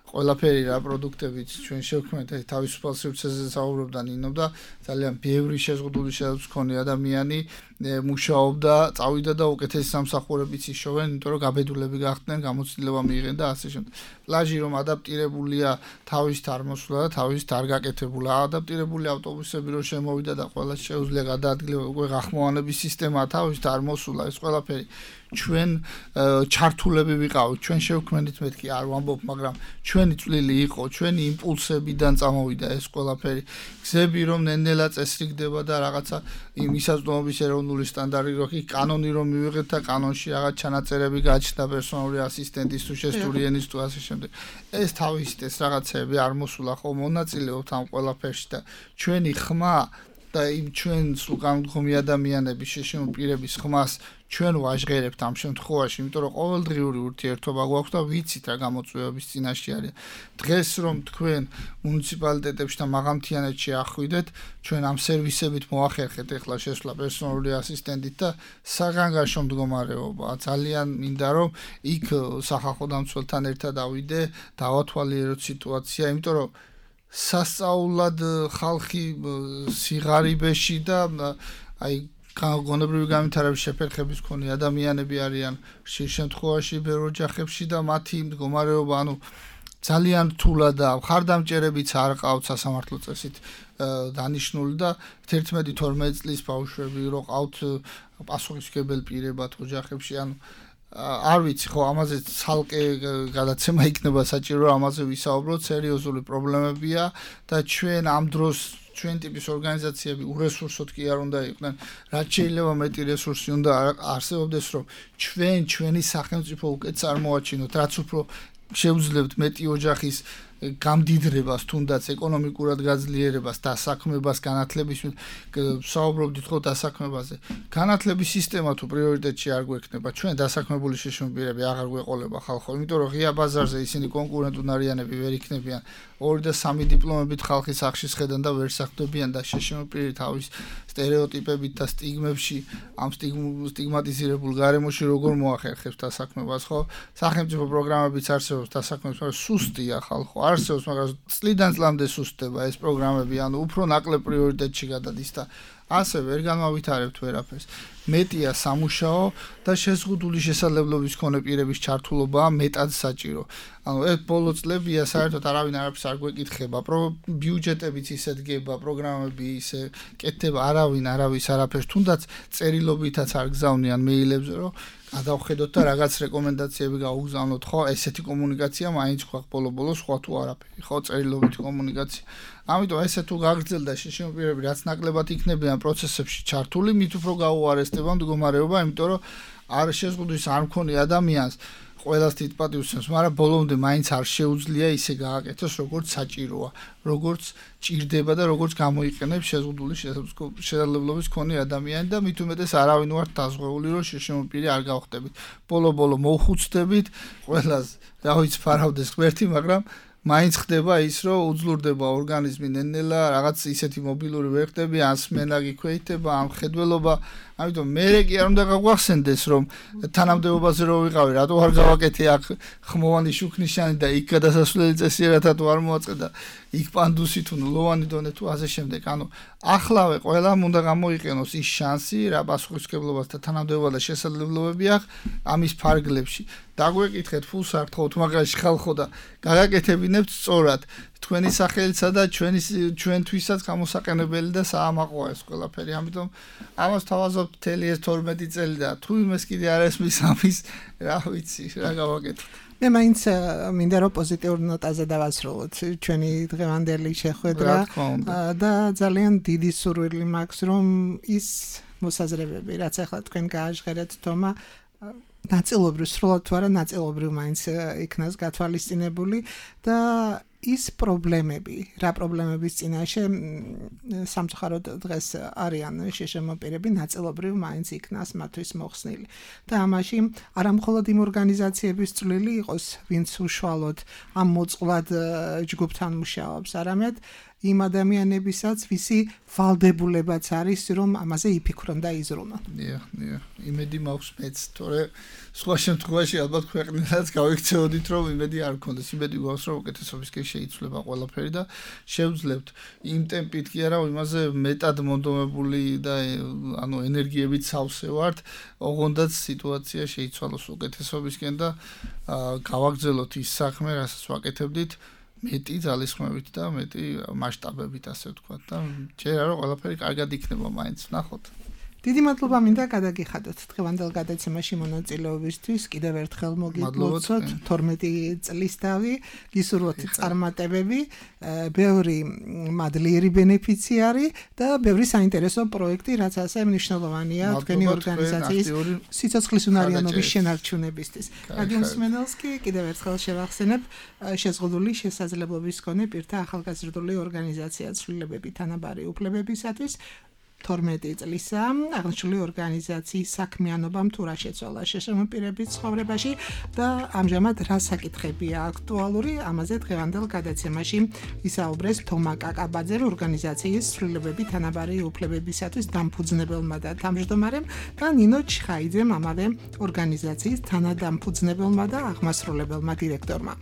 ყველაფერი რა პროდუქტებიც ჩვენ შევქმნით, თავისუფალ სივრცეზე საუბრობდა ნინო და ძალიან ბევრი შეზღუდული შეძლებს მქონე ადამიანი მუშაობდა, წავიდა და უკეთესი სამსახურებიც იშოვენ, იმიტომ რომ გაბედულები გახდნენ, გამოცდილება მიიღენ და ასე შემდეგ. პლაჟი რომ ადაპტირებულია თავის თარმოსვლა და თავის დარგაკეთებულა, ადაპტირებული ავტობუსები რომ შემოვიდა და ყველა შეუძლია გადაადგილება, უკვე გახმოვანების სისტემა თავის თარმოსვლა, ეს ყველაფერი ჩვენ ჩართულები ვიყავით, ჩვენ შევქმნით, მეთქი არ ვამბობ, მაგრამ ჩვენი წვლილი იყო, ჩვენი იმპულსებიდან წამოვიდა ეს ყველაფერი. გზები რომ ნენელა წესრიგდება და რაღაცა იმ ისაზღვრების ეროვნული სტანდარტი რო კი კანონი რომ მივიღეთ და კანონში რაღაც ჩანაწერები გაჩნდა პერსონალური ასისტენტის თუ შესტური ენის თუ ასე შემდეგ. ეს თავისით ეს რაღაცები არ მოსულა ხო მონაწილეობთ ამ ყველაფერში და ჩვენი ხმა და იმ ჩვენს უკანონმდებლობი ადამიანების შეშინებული პირების ხმას ჩვენ ვაჟღერებთ ამ შემთხვევაში, იმიტომ რომ ყოველდღიური ურთიერთობა გვაქვს და ვიცით რა გამოწვევების წინაშე არის. დღეს რომ თქვენ მუნიციპალიტეტებში და მაღალმთიანეთში ახვიდეთ, ჩვენ ამ სერვისებით მოახერხეთ ახლა შესვლა პერსონალური ასისტენტით და საგანგაშო მდგომარეობა. ძალიან მინდა რომ იქ სახალხო დამცველთან ერთად ავიდე, დავათვალიეროთ სიტუაცია, იმიტომ რომ სასწაულად ხალხი სიღარიბეში და აი გონებრივი განვითარების შეფერხების მქონე ადამიანები არიან ხშირ შემთხვევაში ბევრ ოჯახებში და მათი მდგომარეობა, ანუ ძალიან რთულად და ხარდამჭერებიც არ ყავთ სასამართლო წესით დანიშნული და 11-12 წლის ბავშვები რო ყავთ პასუხისმგებელი პირებად ოჯახებში ანუ არ ვიცი ხო ამაზე ცალკე გადაცემა იქნება საჭირო ამაზე ვისაუბროთ სერიოზული პრობლემებია და ჩვენ ამ დროს ჩვენ ტიპის ორგანიზაციები ურესურსოდ კი არ უნდა იყვნენ რაც შეიძლება მეტი რესურსი უნდა არსებობდეს რომ ჩვენი სახელმწიფო უკეთ წარმოაჩინოთ რაც უფრო შეუძლებთ მეტი ოჯახის გამდიდრებას თუნდაც ეკონომიკურად გაძლიერებას დასაქმებას განათლების საუბრობდით ხო დასაქმებაზე განათლების სისტემა თუ პრიორიტეტში არ გვექნება ჩვენ დასაქმებული შეშმობილები აღარ გვეყოლება ხალხო იმიტომ რომ ღია ბაზარზე ისინი კონკურენტუნარიანები ვერ იქნებიან 2 და 3 დიპლომებით ხალხის სახში შედან და ვერ საქმდებიან და შეშმობილი თავის სტერეოტიპებით და სტიგმებში ამ სტიგმატიზირებულ გარემოში როგორ მოახერხებს დასაქმებას ხო სახელმწიფო პროგრამებიც არსებობს დასაქმებას მაგრამ სუსტია ხალხო არსებობს მაგრამ წლიდან წლამდე სუსტდება ეს პროგრამები ანუ უფრო ნაკლებ პრიორიტეტში გადადის და ასე ვერ განმავითარებთ ვერაფერს მეტია სამუშაო და შეზღუდული შესაძლებლობის მქონე პირების ჩართულობა მეტად საჭირო ანუ ეს ბოლო წლებია საერთოდ არავინ არაფერს არ გვეკითხება ბიუჯეტებიც ისე დგება პროგრამები ისე კეთდება არავის არაფერს თუნდაც წერილობითაც არ გზავნიან მეილებზე რომ გადავხედოთ და რაღაც რეკომენდაციები გაუგზავნოთ ხო ესეთი კომუნიკაცია მაინც გვაქვს ბოლო სხვა თუ არაფერი ხო წერილობითი კომუნიკაცია ამიტომ ესე თუ გაგრძელდა შეშმობილები რაც ნაკლებად იქნებიან პროცესებში ჩართული მით უფრო გაუარესდება მდგომარეობა იმიტომ რომ არ შეზღუდვის არ მქონი ადამიანს ყველას თვითპატივსნებს მაგრამ ბოლომდე მაინც არ შეუძლია ისე გააკეთოს როგორც საჭიროა როგორც ჭირდება და როგორც გამოიყენებს შეზღუდული შესაძლებლობის მქონე ადამიანი და მით უმეტეს არავინ ვართ დაზღვეული რომ შეშმობილი არ გავხდებით ბოლო მოხუცდებით ყველას რა ვიცი ფარავდეს ღმერთი მაგრამ მაინც ხდება ის რომ უძლურდება ორგანიზმი ნენელა რაღაც ისეთი მობილური ვერ ხდები ან სმენა გიქვეითება ან ხედველობა ამიტომ მე კი არ უნდა გაგვახსენდეს რომ თანამდებობაზე რო ვიყავი რატო არ გავაკეთე აქ ხმოვანი შუქნიშანი და იქ გადასასვლელი წესიერათა თუ არ მოაწყდა იქ პანდუსი თუ ლოვანი დონე თუ ასე შემდეგ ანუ ახლავე ყველამ უნდა გამოიყენოს ის შანსი რა პასუხისმგებლობას და თანამდებობა და შესაძლებლობები აქვს ამის ფარგლებში დაგვეკითხეთ ფულსართხოთ მაგაში ხალხო და გაგაკეთებინებთ სწორად თქვენი სახელისა და ჩვენთვისაც გამოსაყენებელი და საამაყოა ეს ყველაფერი ამიტომ ამას თავაზობთ მთელი ეს 12 წელი და თუ იმეს კიდე არ ესმის ამის რა ვიცი რა გავაკეთოთ მე მაინც მინდა რომ პოზიტიურ ნოტაზე დავასრულოთ ჩვენი დღევანდელი შეხვედრა და ძალიან დიდი სურვილი მაქვს რომ ის მოსაზრებები რაც ახლა თქვენ გააჟღერეთ თომა ნაწილობრივ სრულად თუ არა ნაწილობრივ მაინც იქნას გათვალისწინებული და ის პრობლემები, რა პრობლემების წინაშე სამწუხაროდ დღეს არიან შეშმობილები ნაწილობრივ მაინც იქნას მათთვის მოხსნილი. და ამაში არა მხოლოდ იმ ორგანიზაციების წვლილი იყოს, ვინც უშუალოდ ამ მოწყვლად ჯგუფთან მუშაობს, არამედ იმ ადამიანებისაც, ვისი ვალდებულებაც არის, რომ ამაზე იფიქრონ და იზრუნონ. იმედი მაქვს მეც, თორე სხვა შემთხვევაში ალბათ ქვეყნიდანაც გავიქცეოდით, რომ იმედი არ გქონდეს. იმედი გვაქვს, რომ უკეთესობისკენ შეიცვლება ყველაფერი და შევძლებთ იმ ტემპით კი არა, იმაზე მეტად მონდომებული და ანუ ენერგიებით სავსე ვართ, ოღონდაც სიტუაცია შეიცვალოს უკეთესობისკენ და გავაგრძელოთ ის საქმე, რასაც ვაკეთებდით. მეტი ძალისხმევით და მეტი მასშტაბებით ასე ვთქვათ და ჯერა რომ ყველაფერი კარგად იქნება მაინც ნახოთ. დიდი მადლობა მინდა გადაგიხადოთ დღევანდელ გადაცემაში მონაწილეობისთვის. კიდევ ერთხელ მოგიგვოცოთ 12 წლის დავი, გისურვოთ წარმატებები, ბევრი მადლიერი ბენეფიციარი და ბევრი საინტერესო პროექტი, რაც ასე მნიშვნელოვანია თქვენი ორგანიზაციის სიცოცხლის უნარიანობის შენარჩუნებისთვის. რადიო მსმენელს კი კიდევ ერთხელ შევახსენებ შეზღუდული შესაძლებლობის მქონე პირთა ახალგაზრდული ორგანიზაცია ცვლილებები თანაბარი უფლებებისათვის 12 წლისა აღნიშნული ორგანიზაციის საქმიანობამ თუ რა შეცვალა შეშმობილების ცხოვრებაში და ამჟამად რა საკითხებია აქტუალური ამაზე დღევანდელ გადაცემაში ისაუბრეს თომა კაკაბაძე ორგანიზაციის ცვლილებები თანაბარი უფლებებისათვის დამფუძნებელმა და თავმჯდომარემ და ნინო ჩხაიძემ ამავე ორგანიზაციის თანადამფუძნებელმა და აღმასრულებელმა დირექტორმა.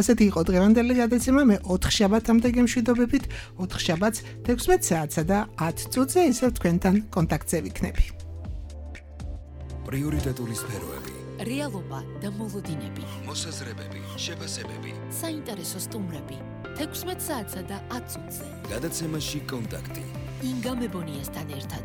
ასეთი იყო დღევანდელი გადაცემა. მე 4 შაბათამდე გემშვიდობებით 4 შაბათს 16 საათსა და 10 წუთზე თქვენთან კონტაქტზე ვიქნები. პრიორიტეტული სფეროები რეალობა და მოლოდინები, მოსაზრებები, შეფასებები. საინტერესო სტუმრები. 16 საათსა და 10 წუთზე. გადაცემაში კონტაქტი. ინგა მებონიასთან ერთად.